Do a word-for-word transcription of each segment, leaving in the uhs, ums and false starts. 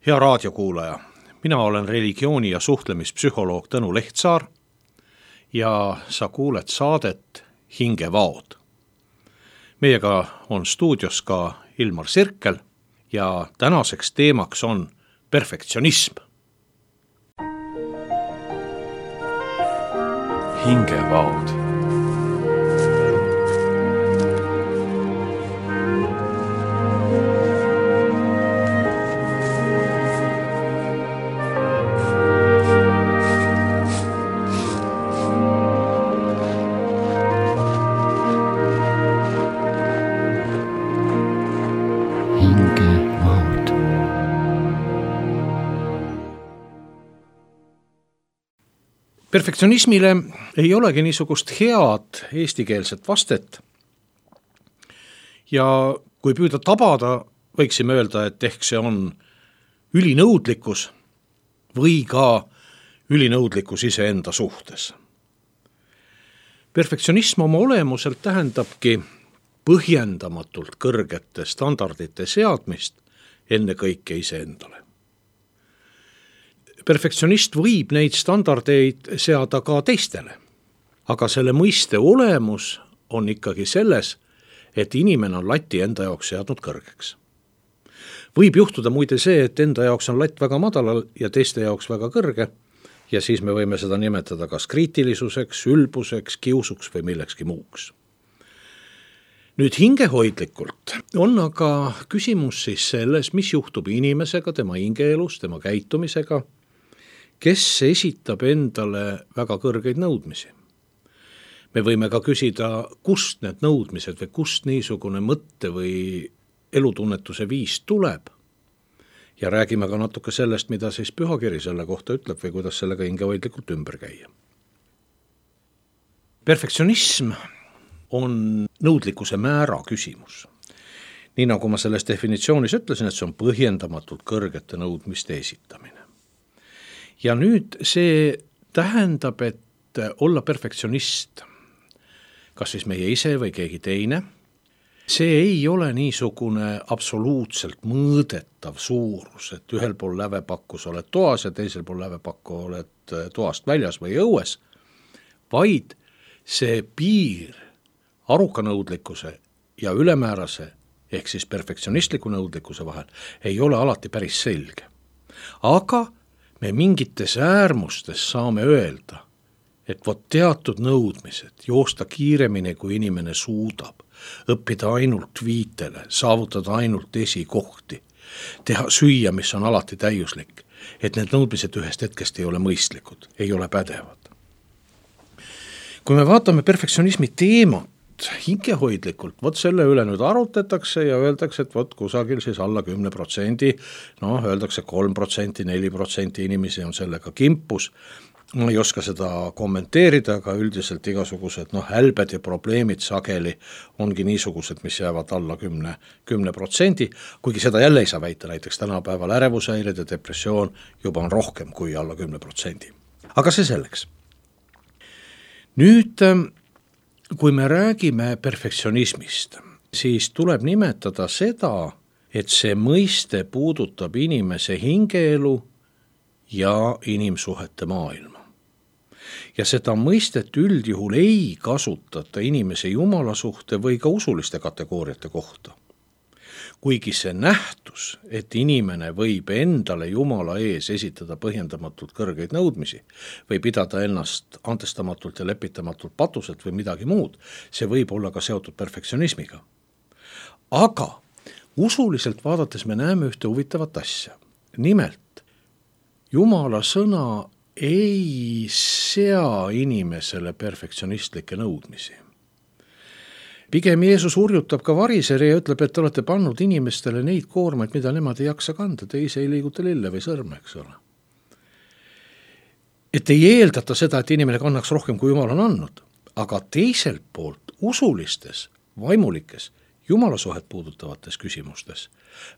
Hea raadiokuulaja, mina olen religiooni- ja suhtlemispsühholoog Tõnu Lehtsaar ja sa kuuled saadet Hingevaod. Meiega on stuudios ka Ilmar Sirkel ja tänaseks teemaks on perfektsionism. Hingevaod. Perfektsionismile ei olegi niisugust head eestikeelset vastet ja kui püüda tabada, võiksime öelda, et ehk see on ülinõudlikkus või ka ülinõudlikkus iseenda suhtes. Perfektsionism oma olemuselt tähendabki põhjendamatult kõrgete standardite seadmist ennekõike iseendale. Perfektsionist võib neid standardeid seada ka teistele, aga selle mõiste olemus on ikkagi selles, et inimene on lati enda jaoks seadnud kõrgeks. Võib juhtuda muide see, et enda jaoks on latt väga madalal ja teiste jaoks väga kõrge ja siis me võime seda nimetada kas kriitilisuseks, ülbuseks, kiusuks või millekski muuks. Nüüd hingehoidlikult on aga küsimus siis selles, mis juhtub inimesega, tema hingeelus, tema käitumisega, kes esitab endale väga kõrgeid nõudmisi. Me võime ka küsida, kust need nõudmised või kust niisugune mõtte või elutunnetuse viis tuleb. Ja räägime ka natuke sellest, mida siis pühakiri selle kohta ütleb või kuidas sellega hingehoidlikult ümber käia. Perfektsionism on nõudlikkuse määra küsimus. Nii nagu ma selles definitsioonis ütlesin, et see on põhjendamatult kõrgete nõudmiste esitamine. Ja nüüd see tähendab, et olla perfektsionist, kas siis meie ise või keegi teine, see ei ole niisugune absoluutselt mõõdetav suurus, et ühel pool lävepakkus oled toas ja teisel pool lävepakku oled toast väljas või õues, vaid see piir aruka nõudlikkuse ja ülemäärase ehk siis perfektsionistliku nõudlikkuse vahel ei ole alati päris selge. Aga me mingites äärmustes saame öelda, et vot teatud nõudmised, joosta kiiremini kui inimene suudab, õppida ainult viitele, saavutada ainult esikohti, teha süüa, mis on alati täiuslik, et need nõudmised ühest hetkest ei ole mõistlikud, ei ole pädevad. Kui me vaatame perfektsionismi teemat hingehoidlikult, vot selle üle nüüd arutatakse ja öeldakse, et vot kusagil siis alla kümne protsendi, noh, öeldakse kolm protsenti, neli protsenti inimesi on sellega kimpus. Ma ei oska seda kommenteerida, aga üldiselt igasugused noh, hälbed ja probleemid sageli ongi niisugused, mis jäävad alla kümne protsendi, kuigi seda jälle ei saa väita, näiteks tänapäeval ärevushäired ja depressioon juba on rohkem kui alla kümne protsendi. Aga see selleks. Nüüd kui me räägime perfektsionismist, siis tuleb nimetada seda, et see mõiste puudutab inimese hingeelu ja inimsuhete maailma. Ja seda mõistet üldjuhul ei kasutata inimese jumalasuhte või ka usuliste kategooriate kohta. Kuigi see nähtus, et inimene võib endale Jumala ees esitada põhjendamatult kõrgeid nõudmisi või pidada ennast antestamatult ja lepitamatult patuselt või midagi muud, see võib olla ka seotud perfektsionismiga. Aga usuliselt vaadates me näeme ühte huvitavat asja. Nimelt, Jumala sõna ei sea inimesele perfektsionistlikke nõudmisi. Pigem Jeesus hurjutab ka variseri ja ütleb, et te olete pannud inimestele neid koormaid, mida nemad ei jaksa kanda, te ise ei liiguta lille või sõrme, eks ole. Et ei eeldata seda, et inimene kannaks rohkem, kui Jumal on andnud, aga teiselt poolt usulistes, vaimulikes, Jumalasuhet puudutavates küsimustes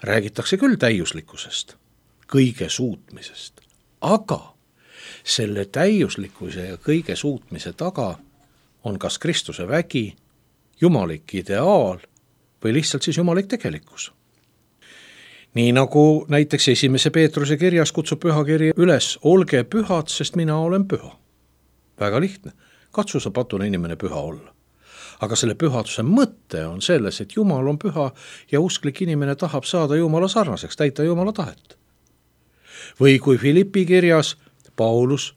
räägitakse küll täiuslikkusest, kõige suutmisest, aga selle täiuslikkuse ja kõige suutmise taga on kas Kristuse vägi, jumalik ideaal või lihtsalt siis jumalik tegelikkus. nii nagu näiteks esimese Peetruse kirjas kutsub pühakiri üles, olge pühad, sest mina olen püha. Väga lihtne, katsu sa patune inimene püha olla. Aga selle pühaduse mõte on selles, et Jumal on püha ja usklik inimene tahab saada Jumala sarnaseks, täita Jumala tahet. Või kui Filippi kirjas Paulus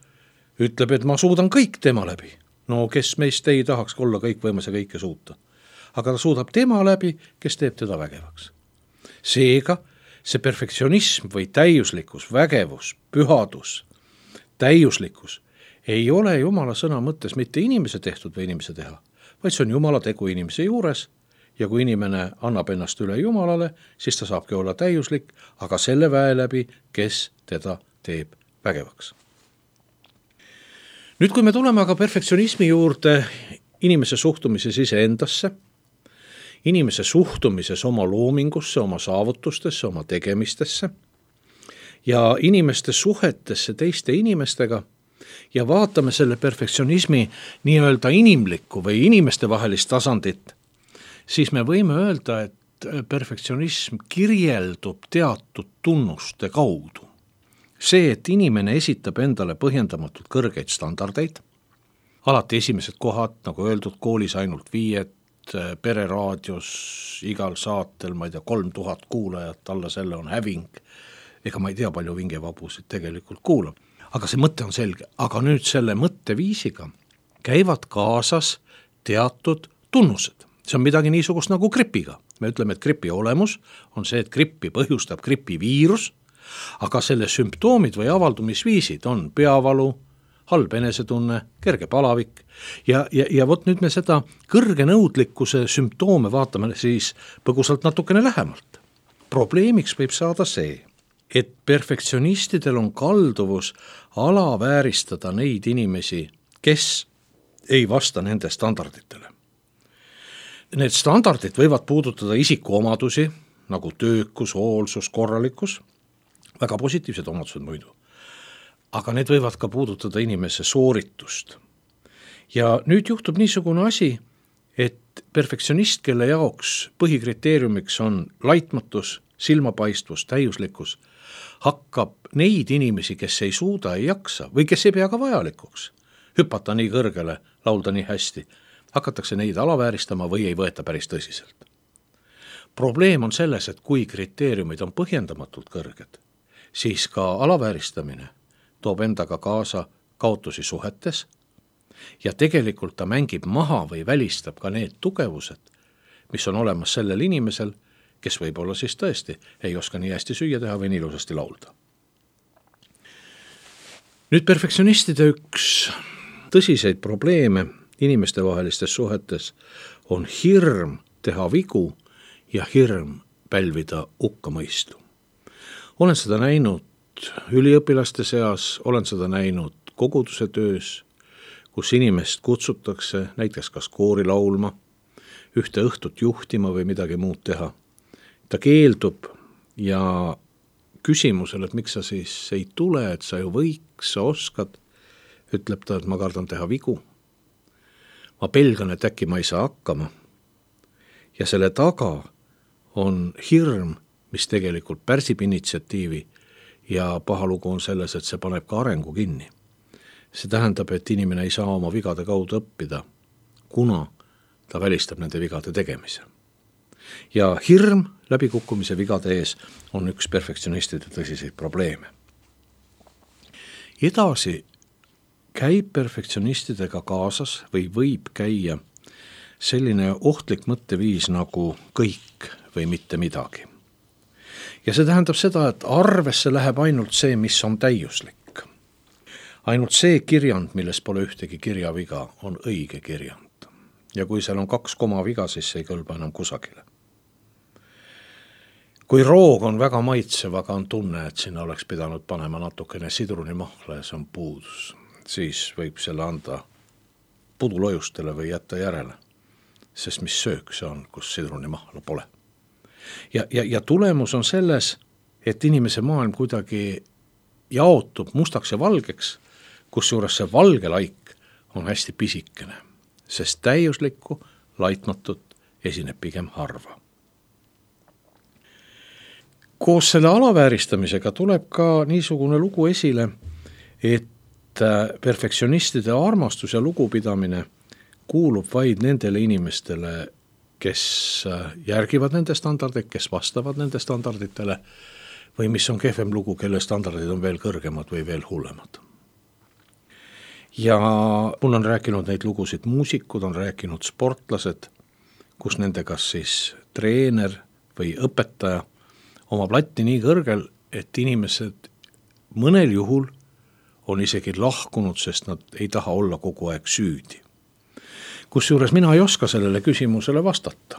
ütleb, et ma suudan kõik tema läbi. No kes meist ei tahaks olla kõikvõimas ja kõike suuta. Aga ta suudab tema läbi, kes teeb teda vägevaks. Seega see perfektsionism või täiuslikkus, vägevus, pühadus, täiuslikkus ei ole Jumala sõna mõttes mitte inimese tehtud või inimese teha, vaid see on Jumala tegu inimese juures ja kui inimene annab ennast üle Jumalale, siis ta saabki olla täiuslik, aga selle väe läbi, kes teda teeb vägevaks. Nüüd, kui me tuleme aga perfektsionismi juurde inimese suhtumises iseendasse, inimese suhtumises oma loomingusse, oma saavutustesse, oma tegemistesse ja inimeste suhetesse teiste inimestega ja vaatame selle perfektsionismi nii-öelda inimlikku või inimeste vahelist tasandit, siis me võime öelda, et perfektsionism kirjeldub teatud tunnuste kaudu. See, et inimene esitab endale põhjendamatult kõrgeid standardeid, alati esimesed kohad, nagu öeldud, koolis ainult viied, pereraadios igal saatel, ma ei tea, kolm tuhat kuulajat, alla selle on häving. Ega ma ei tea, palju vingevabusid tegelikult kuulab. Aga see mõte on selge. Aga nüüd selle mõtteviisiga käivad kaasas teatud tunnused. See on midagi niisugust nagu gripiga. Me ütleme, et gripi olemus on see, et grippi põhjustab gripiviirus, aga selle sümptoomid või avaldumisviisid on peavalu, halb enesetunne, kerge palavik ja, ja, ja vot nüüd me seda kõrge nõudlikkuse sümptoome vaatame siis põgusalt natukene lähemalt. Probleemiks võib saada see, et perfektsionistidel on kalduvus alavääristada neid inimesi, kes ei vasta nende standarditele. Need standardid võivad puudutada isikuomadusi, nagu töökus, hoolsus, korralikkus, väga positiivsed omadused muidu. Aga need võivad ka puudutada inimese sooritust. Ja nüüd juhtub niisugune asi, et perfektsionist, kelle jaoks põhikriteeriumiks on laitmatus, silmapaistvus, täiuslikkus, hakkab neid inimesi, kes ei suuda, ei jaksa või kes ei pea ka vajalikuks hüpata nii kõrgele, laulda nii hästi, hakatakse neid alavääristama või ei võeta päris tõsiselt. Probleem on selles, et kui kriteeriumid on põhjendamatult kõrged, siis ka alavääristamine toob endaga kaasa kaotusi suhetes ja tegelikult ta mängib maha või välistab ka need tugevused, mis on olemas sellel inimesel, kes võib-olla siis tõesti ei oska nii hästi süüa teha või nii ilusasti laulda. Nüüd perfektsionistide üks tõsiseid probleeme inimeste vahelistes suhetes on hirm teha vigu ja hirm pälvida hukkamõistu. Olen seda näinud üliõpilaste seas, olen seda näinud koguduse töös, kus inimest kutsutakse näiteks kas koori laulma, ühte õhtut juhtima või midagi muud teha. Ta keeldub ja küsimusel, et miks sa siis ei tule, et sa ju võiks, sa oskad, ütleb ta, et ma kardan teha vigu. Ma pelgan, et äkki ma ei saa hakkama. Ja selle taga on hirm, mis tegelikult pärsib initsiatiivi ja paha lugu on selles, et see paneb ka arengu kinni. See tähendab, et inimene ei saa oma vigade kaudu õppida, kuna ta välistab nende vigade tegemise. Ja hirm läbikukkumise vigade ees on üks perfektsionistide tõsiseid probleeme. Edasi käib perfektsionistidega kaasas või võib käia selline ohtlik mõtteviis nagu kõik või mitte midagi. Ja see tähendab seda, et arvesse läheb ainult see, mis on täiuslik. Ainult see kirjand, milles pole ühtegi kirjaviga, on õige kirjand. Ja kui seal on kaks koma viga, siis ei kõlba enam kusagile. Kui roog on väga maitsev, aga on tunne, et sinna oleks pidanud panema natukene sidrunimahla ja see on puudus, siis võib selle anda pudulojustele või jätta järele, sest mis söök see on, kus sidrunimahla pole. Ja, ja, ja tulemus on selles, et inimese maailm kuidagi jaotub mustaks ja valgeks, kus juures see valge laik on hästi pisikene, sest täiuslikku, laitmatut esineb pigem harva. koos selle alavääristamisega tuleb ka niisugune lugu esile, et perfektsionistide armastus ja lugupidamine kuulub vaid nendele inimestele, kes järgivad nende standardeid, kes vastavad nende standarditele või mis on kehvem lugu, kelle standardid on veel kõrgemad või veel hullemad. Ja mul on rääkinud neid lugusid muusikud, on rääkinud sportlased, kus nende kas siis treener või õpetaja oma platti nii kõrgel, et inimesed mõnel juhul on isegi lahkunud, sest nad ei taha olla kogu aeg süüdi. Kusjuures mina ei oska sellele küsimusele vastata.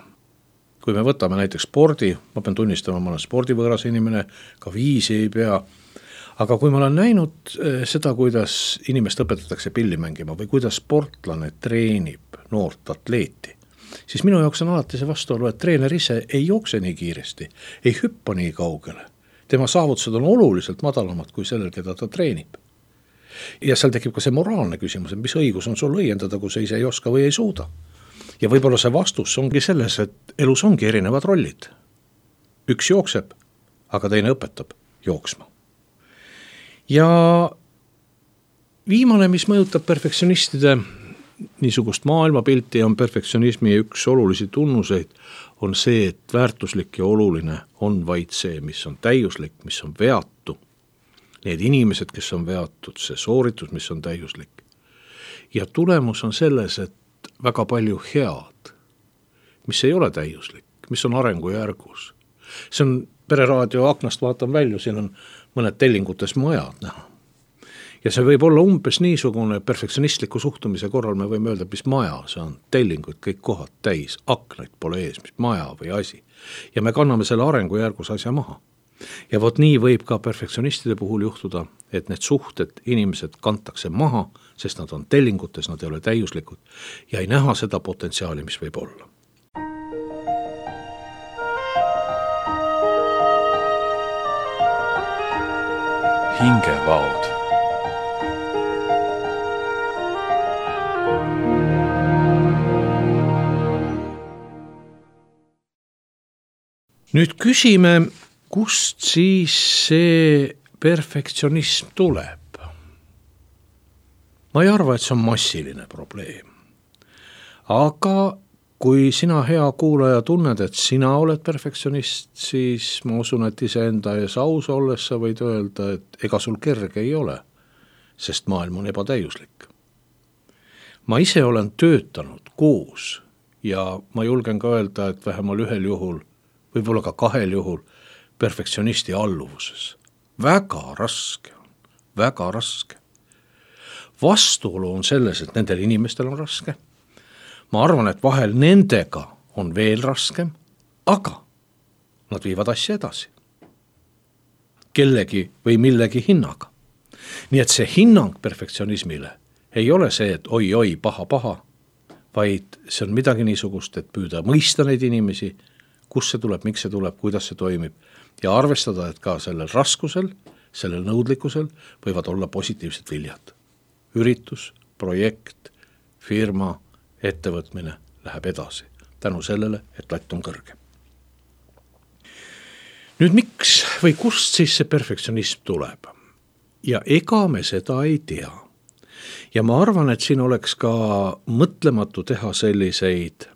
Kui me võtame näiteks spordi, ma pean tunnistama, ma olen spordivõõras inimene, ka viisi ei pea, aga kui ma olen näinud seda, kuidas inimest õpetatakse pilli mängima või kuidas sportlane treenib noort atleeti, siis minu jaoks on alati see vastuolu, et treener ise ei jookse nii kiiresti, ei hüppa nii kaugele. Tema saavutused on oluliselt madalamad kui sellel, keda ta treenib. Ja seal tekib ka see moraalne küsimus, et mis õigus on sul õiendada, kui sa ise ei oska või ei suuda. Ja võib-olla see vastus ongi selles, et elus ongi erinevad rollid. Üks jookseb, aga teine õpetab jooksma. Ja viimane, mis mõjutab perfektsionistide niisugust maailmapilti, on perfektsionismi üks olulisi tunnuseid, on see, et väärtuslik ja oluline on vaid see, mis on täiuslik, mis on veatu. Need inimesed, kes on veatud, see sooritus, mis on täiuslik. Ja tulemus on selles, et väga palju head, mis ei ole täiuslik, mis on arengujärgus. See on pereraadio aknast, vaatan välja, siin on mõned tellingutes majad näha. Ja see võib olla umbes niisugune perfektsionistliku suhtumise korral, me võime öelda, mis maja see on, tellingud, kõik kohad täis, aknaid pole ees, mis maja või asi. Ja me kanname selle arengujärgus asja maha. Ja vot nii võib ka perfektsionistide puhul juhtuda, et need suhted, inimesed kantakse maha, sest nad on tellingutes, nad ei ole täiuslikud ja ei näha seda potentsiaali, mis võib olla. Hingevaud. Nüüd küsime, kust siis see perfektsionism tuleb? Ma ei arva, et see on massiline probleem. Aga kui sina hea kuulaja tunned, et sina oled perfektsionist, siis ma usun, et iseenda ees aus olles sa võid öelda, et ega sul kerge ei ole, sest maailm on ebatäiuslik. Ma ise olen töötanud koos ja ma julgen ka öelda, et vähemal ühel juhul, võib-olla ka kahel juhul, perfektsionisti alluvuses. Väga raske on, väga raske. Vastuolu on selles, et nendel inimestel on raske. Ma arvan, et vahel nendega on veel raskem, aga nad viivad asja edasi. Kellegi või millegi hinnaga. Nii et see hinnang perfektsionismile ei ole see, et oi-oi, paha-paha, vaid see on midagi niisugust, et püüda mõista neid inimesi, kus see tuleb, miks see tuleb, kuidas see toimib ja arvestada, et ka sellel raskusel, sellel nõudlikkusel võivad olla positiivsed viljad. Üritus, projekt, firma, ettevõtmine läheb edasi tänu sellele, et latt on kõrge. Nüüd miks või kust siis see perfektsionism tuleb? Ja ega me seda ei tea. Ja ma arvan, et siin oleks ka mõtlematu teha selliseid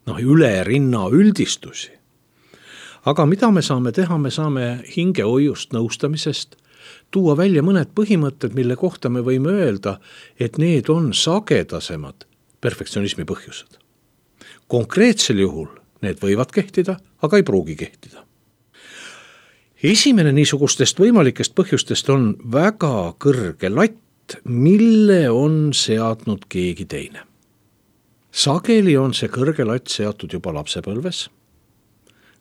noh, üle rinna üldistusi. Aga mida me saame teha? Me saame hingehoiust nõustamisest tuua välja mõned põhimõtted, mille kohta me võime öelda, et need on sagedasemad perfektsionismi põhjused. Konkreetsel juhul need võivad kehtida, aga ei pruugi kehtida. Esimene niisugustest võimalikest põhjustest on väga kõrge latt, mille on seadnud keegi teine. Sageli on see kõrge latt seatud juba lapsepõlves,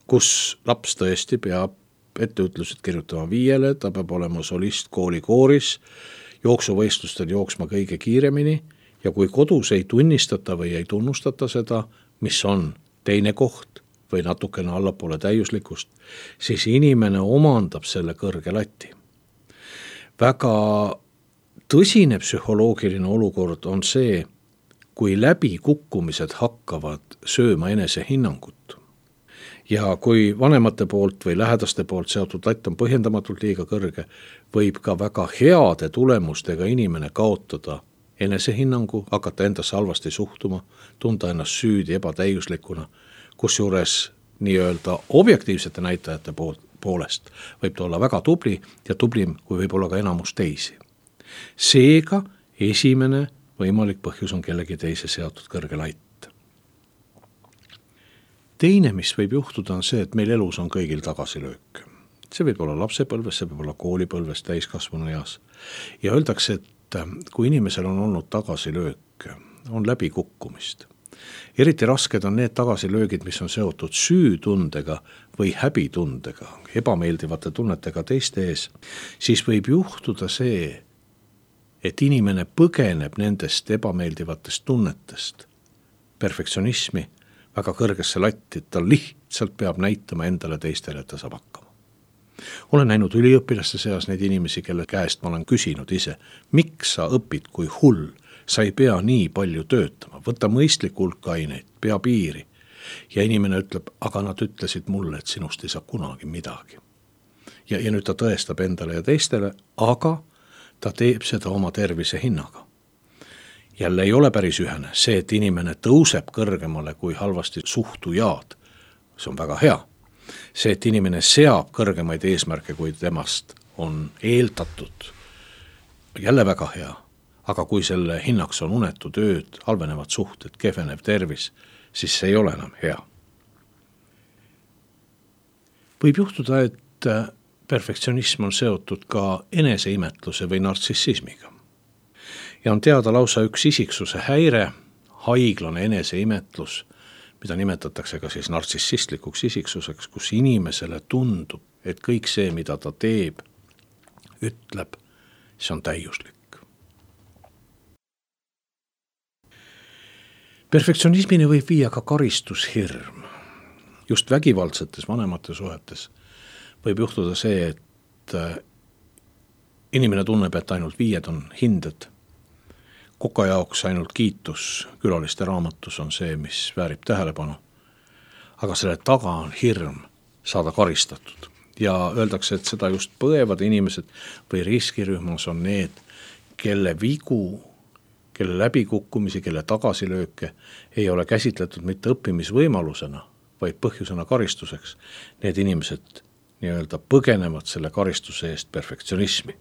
kus laps tõesti peab etteütlused kirjutama viiele, ta peab olema solist kooli kooris, jooksuvõistlustel jooksma kõige kiiremini ja kui kodus ei tunnistata või ei tunnustata seda, mis on teine koht või natukene allapoole täiuslikust, siis inimene omandab selle kõrge lati. Väga tõsine psühholoogiline olukord on see, kui läbi kukkumised hakkavad sööma enese hinnangut. ja kui vanemate poolt või lähedaste poolt seotud latt on põhjendamatult liiga kõrge, võib ka väga heade tulemustega inimene kaotada enesehinnangu, hakata endasse halvasti suhtuma, tunda ennast süüdi ebatäiuslikuna, kusjuures nii-öelda objektiivsete näitajate poolest võib ta olla väga tubli ja tublim, kui võib olla ka enamus teisi. Seega esimene võimalik põhjus on kellegi teise seotud kõrge latt. Teine, mis võib juhtuda, on see, et meil elus on kõigil tagasilöök. See võib olla lapsepõlves, see võib olla koolipõlves, täiskasvanu eas. Ja öeldakse, et kui inimesel on olnud tagasilöök, on läbikukkumist. Eriti rasked on need tagasilöögid, mis on seotud süütundega või häbitundega, ebameeldivate tunnetega teiste ees, siis võib juhtuda see, et inimene põgeneb nendest ebameeldivatest tunnetest, perfektsionismi, väga kõrgesse latti, ta lihtsalt peab näitama endale teistele, et ta saab hakkama. Olen näinud üliõpilaste seas neid inimesi, kelle käest ma olen küsinud ise, miks sa õpid kui hull, sa ei pea nii palju töötama, võta mõistlik hulk aineid, pea piiri. Ja inimene ütleb, aga nad ütlesid mulle, et sinust ei saa kunagi midagi. Ja, ja nüüd ta tõestab endale ja teistele, aga ta teeb seda oma tervise hinnaga. Jälle ei ole päris ühene. See, et inimene tõuseb kõrgemale kui halvasti suhtujad, see on väga hea. See, et inimene seab kõrgemaid eesmärke, kui temast on eeldatud, jälle väga hea. Aga kui selle hinnaks on unetu tööd, halvenevad suhted, kehvenev tervis, siis see ei ole enam hea. Võib juhtuda, et perfektsionism on seotud ka eneseimetluse või nartsissismiga. Ja on teada lausa üks isiksuse häire, haiglane eneseimetlus, mida nimetatakse ka siis nartsissistlikuks isiksuseks, kus inimesele tundub, et kõik see, mida ta teeb, ütleb, see on täiuslik. Perfektsionismini võib viia ka karistushirm. Just vägivaldsetes vanemate suhetes võib juhtuda see, et inimene tunneb, et ainult viied on hinded. Koka jaoks ainult kiitus külaliste raamatus on see, mis väärib tähelepanu. Aga selle taga on hirm saada karistatud. Ja öeldakse, et seda just põevad inimesed või riskirühmas on need, kelle vigu, kelle läbikukkumisi, kelle tagasilööke ei ole käsitletud mitte õppimisvõimalusena, vaid põhjusena karistuseks. Need inimesed nii-öelda põgenevad selle karistuse eest perfektsionismi.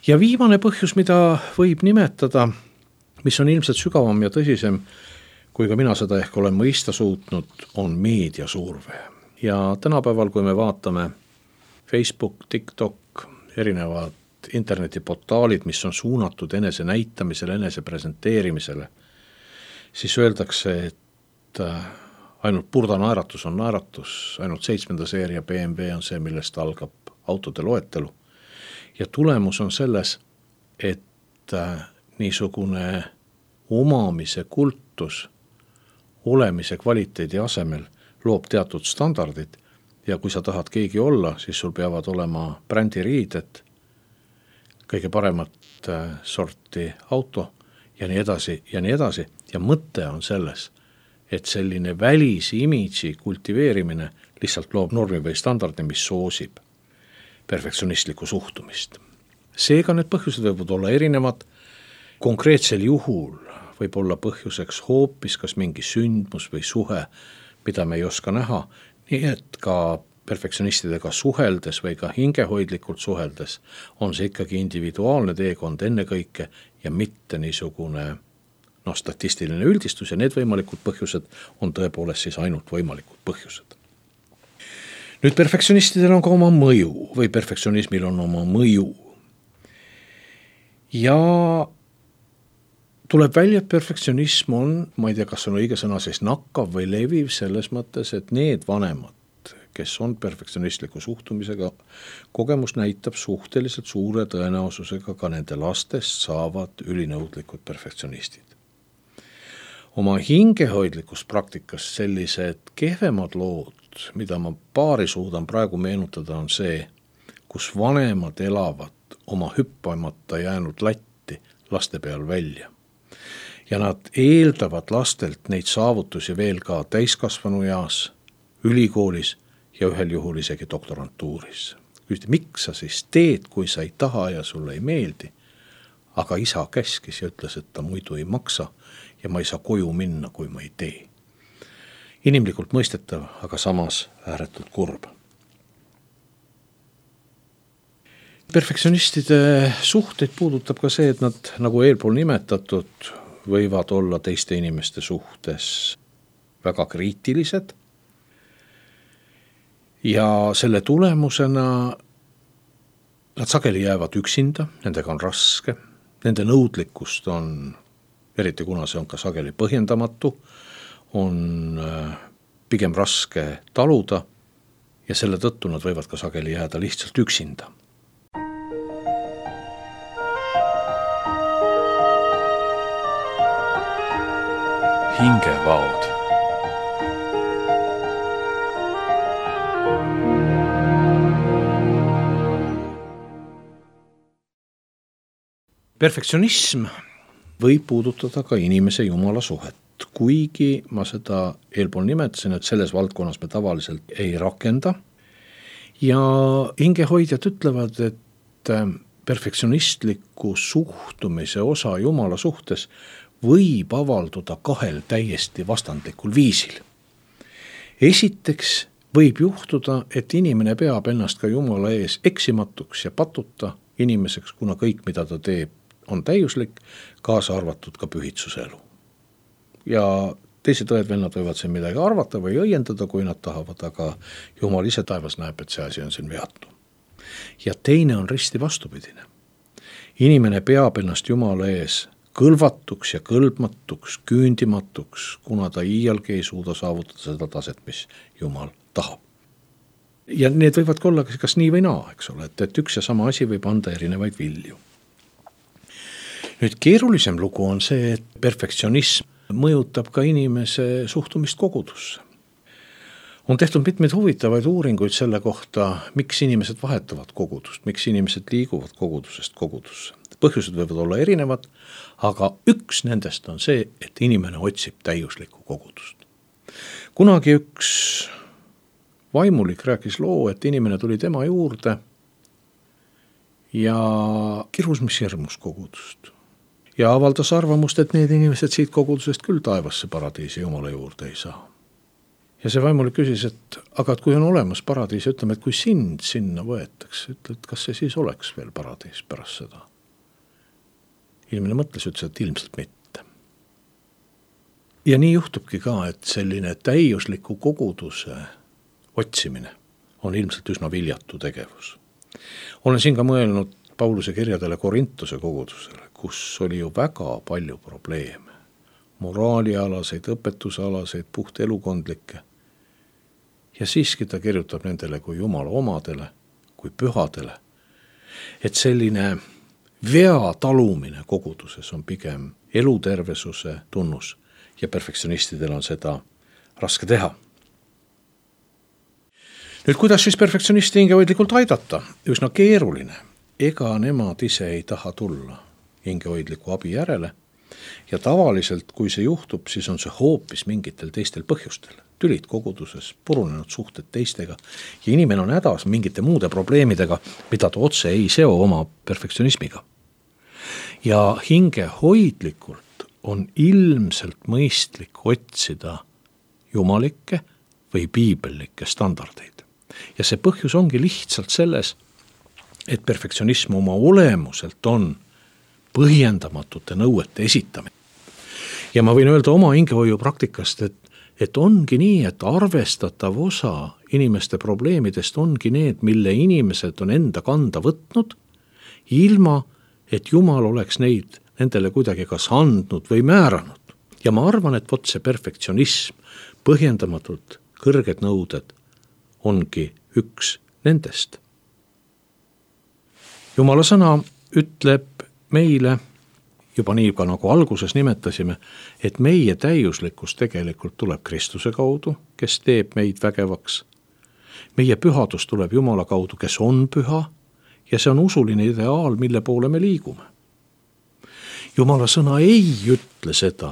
Ja viimane põhjus, mida võib nimetada, mis on ilmselt sügavam ja tõsisem, kui ka mina seda ehk olen mõista suutnud, on meediasurve. Ja tänapäeval, kui me vaatame Facebook, TikTok, erinevad internetiportaalid, mis on suunatud enese näitamisele, enese presenteerimisele, siis öeldakse, et ainult purda naeratus on naeratus, ainult seitsmenda seeria B M W on see, millest algab autode loetelu. Ja tulemus on selles, et niisugune omamise kultus olemise kvaliteedi asemel loob teatud standardid ja kui sa tahad keegi olla, siis sul peavad olema brändiriided, kõige paremat sorti auto ja nii edasi ja nii edasi. Ja mõte on selles, et selline välisimidži kultiveerimine lihtsalt loob normi või standardi, mis soosib perfektsionistlikku suhtumist. Seega need põhjused võivad olla erinevad. Konkreetsel juhul võib olla põhjuseks hoopis kas mingi sündmus või suhe, mida me ei oska näha, nii et ka perfektsionistidega suheldes või ka hingehoidlikult suheldes on see ikkagi individuaalne teekond ennekõike ja mitte niisugune no, statistiline üldistus ja need võimalikud põhjused on tõepoolest siis ainult võimalikud põhjused. Nüüd perfektsionistidel on ka oma mõju või perfektsionismil on oma mõju. Ja tuleb välja, et perfektsionism on, ma ei tea, kas on õige sõna, siis nakkav või leviv selles mõttes, et need vanemad, kes on perfektsionistliku suhtumisega, kogemus näitab suhteliselt suure tõenäosusega ka nende lastest saavad ülinõudlikud perfektsionistid. Oma hingehoidlikus praktikas sellised kehvemad lood, mida ma paari suudan praegu meenutada, on see, kus vanemad elavad oma hüppamata jäänud latti laste peal välja. Ja nad eeldavad lastelt neid saavutusi veel ka täiskasvanu eas, ülikoolis ja ühel juhul isegi doktorantuuris. Küsiti, miks sa siis teed, kui sa ei taha ja sulle ei meeldi? Aga isa käskis ja ütles, et ta muidu ei maksa ja ma ei saa koju minna, kui ma ei tee. Inimlikult mõistetav, aga samas ääretult kurb. Perfektsionistide suhteid puudutab ka see, et nad, nagu eelpool nimetatud, võivad olla teiste inimeste suhtes väga kriitilised ja selle tulemusena nad sageli jäävad üksinda, nendega on raske, nende nõudlikkust on, eriti kuna see on ka sageli põhjendamatu, on pigem raske taluda ja selle tõttu nad võivad ka sageli jääda lihtsalt üksinda. Hingevaud. Perfektsionism võib puudutada ka inimese jumala suhet, kuigi ma seda eelpool nimetasin, et selles valdkonnas me tavaliselt ei rakenda. Ja hingehoidjad ütlevad, et perfektsionistliku suhtumise osa jumala suhtes võib avalduda kahel täiesti vastandlikul viisil. Esiteks võib juhtuda, et inimene peab ennast ka jumala ees eksimatuks ja patuta inimeseks, kuna kõik, mida ta teeb, on täiuslik, kaasa arvatud ka pühitsuse elu. Ja teised õed-vennad võivad siin midagi arvata või õiendada, kui nad tahavad, aga jumal ise taevas näeb, et see asi on siin veatu. Ja teine on risti vastupidine. Inimene peab ennast jumala ees kõlvatuks ja kõlbmatuks, küündimatuks, kuna ta iialgi ei suuda saavutada seda taset, mis jumal tahab. Ja need võivad olla kas nii või naa, eks ole, et, et üks ja sama asi võib anda erinevaid vilju. Nüüd keerulisem lugu on see, et perfektsionism mõjutab ka inimese suhtumist kogudusse. On tehtud mitmeid huvitavaid uuringuid selle kohta, miks inimesed vahetavad kogudust, miks inimesed liiguvad kogudusest kogudusse. Põhjused võivad olla erinevad, aga üks nendest on see, et inimene otsib täiuslikku kogudust. Kunagi üks vaimulik rääkis loo, et inimene tuli tema juurde ja kirus mis hirmus kogudust. Ja avaldas arvamust, et need inimesed siit kogudusest küll taevasse paradiisi jumala juurde ei saa. Ja see vaimulik küsis, et aga et kui on olemas paradiis, ütleme, et kui sind sinna võetakse, ütle, et kas see siis oleks veel paradiis pärast seda. Inimene mõtles, ütles, et ilmselt mitte. Ja nii juhtubki ka, et selline täiusliku koguduse otsimine on ilmselt üsna viljatu tegevus. Olen siin ka mõelnud Pauluse kirjadele Korintuse kogudusele, kus oli ju väga palju probleeme. Moraalialaseid, õpetusalaseid, puht elukondlikke. Ja siiski ta kirjutab nendele kui jumala omadele, kui pühadele. Et selline vea talumine koguduses on pigem elutervesuse tunnus ja perfektsionistidel on seda raske teha. Nüüd, kuidas siis perfektsionisti hingehoidlikult aidata? Üsna keeruline. Ega nemad ise ei taha tulla hingehoidliku abi järele ja tavaliselt, kui see juhtub, siis on see hoopis mingitel teistel põhjustel. Tülid koguduses, purunenud suhted teistega ja inimene on hädas mingite muude probleemidega, mida ta otse ei seo oma perfektsionismiga. Ja hingehoidlikult on ilmselt mõistlik otsida jumalikke või piibellikke standardeid. Ja see põhjus ongi lihtsalt selles, et perfektsionism oma olemuselt on põhjendamatute nõuete esitamine. Ja ma võin öelda oma hingehoiu praktikast, et, et ongi nii, et arvestatav osa inimeste probleemidest ongi need, mille inimesed on enda kanda võtnud, ilma et Jumal oleks neid nendele kuidagi kas andnud või määranud. Ja ma arvan, et vot see perfektsionism, põhjendamatult kõrged nõuded ongi üks nendest. Jumala sõna ütleb meile, juba nii ka nagu alguses nimetasime, et meie täiuslikkus tegelikult tuleb Kristuse kaudu, kes teeb meid vägevaks. Meie pühadus tuleb Jumala kaudu, kes on püha, ja see on usuline ideaal, mille poole me liigume. Jumala sõna ei ütle seda,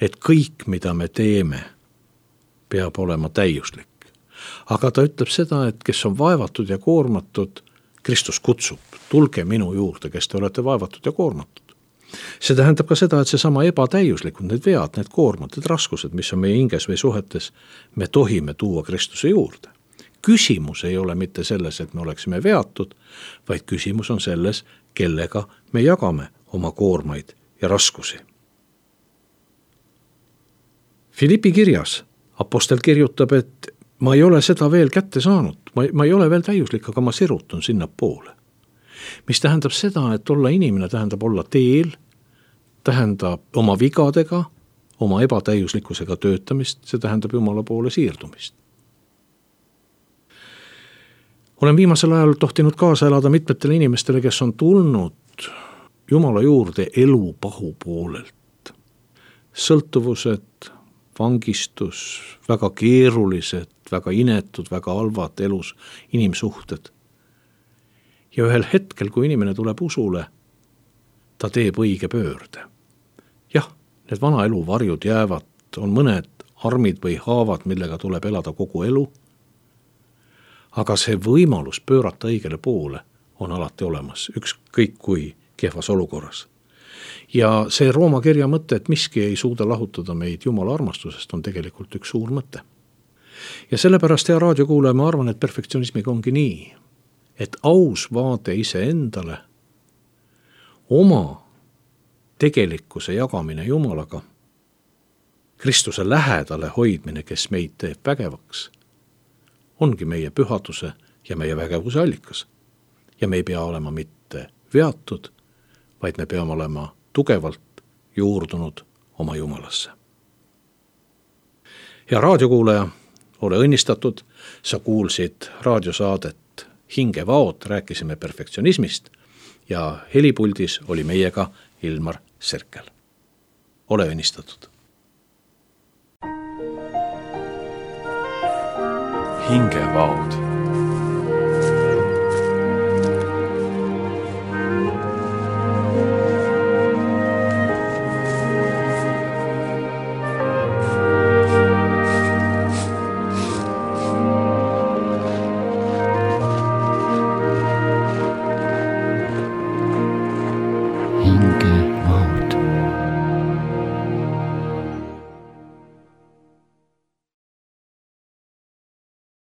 et kõik, mida me teeme, peab olema täiuslik. Aga ta ütleb seda, et kes on vaevatud ja koormatud, Kristus kutsub, tulge minu juurde, kes te olete vaevatud ja koormatud. See tähendab ka seda, et see sama ebatäiuslikud, need vead, need koormad, need raskused, mis on meie hinges või suhetes, me tohime tuua Kristuse juurde. Küsimus ei ole mitte selles, et me oleksime veatud, vaid küsimus on selles, kellega me jagame oma koormaid ja raskusi. Filippi kirjas apostel kirjutab, et ma ei ole seda veel kätte saanud, ma, ma ei ole veel täiuslik, aga ma sirutun sinna poole. Mis tähendab seda, et olla inimene tähendab olla teel, tähendab oma vigadega, oma ebatäiuslikkusega töötamist, see tähendab Jumala poole siirdumist. Olen viimasel ajal tohtinud kaasa elada mitmetele inimestele, kes on tulnud Jumala juurde elu pahu poolelt. Sõltuvused, vangistus, väga keerulised, väga inetud, väga halvad elus inimsuhted. Ja ühel hetkel, kui inimene tuleb usule, ta teeb õige pöörde. Jah, need vana elu varjud jäävad, on mõned armid või haavad, millega tuleb elada kogu elu, aga see võimalus pöörata õigele poole on alati olemas, ükskõik kui kehvas olukorras. Ja see Rooma kirja mõte, et miski ei suuda lahutada meid Jumala armastusest, on tegelikult üks suur mõte. Ja sellepärast, hea raadiokuulaja, ma arvan, et perfektsionismiga ongi nii, et aus vaade ise endale, oma tegelikkuse jagamine Jumalaga, Kristuse lähedale hoidmine, kes meid teeb vägevaks, ongi meie pühaduse ja meie vägevuse allikas. Ja me ei pea olema mitte veatud, vaid me peame olema tugevalt juurdunud oma Jumalasse. Hea raadiokuulaja, ole õnnistatud, sa kuulsid raadiosaadet Hingevaod, rääkisime perfektsionismist ja helipuldis oli meiega Ilmar Serkel. Ole õnnistatud. Hingevaod.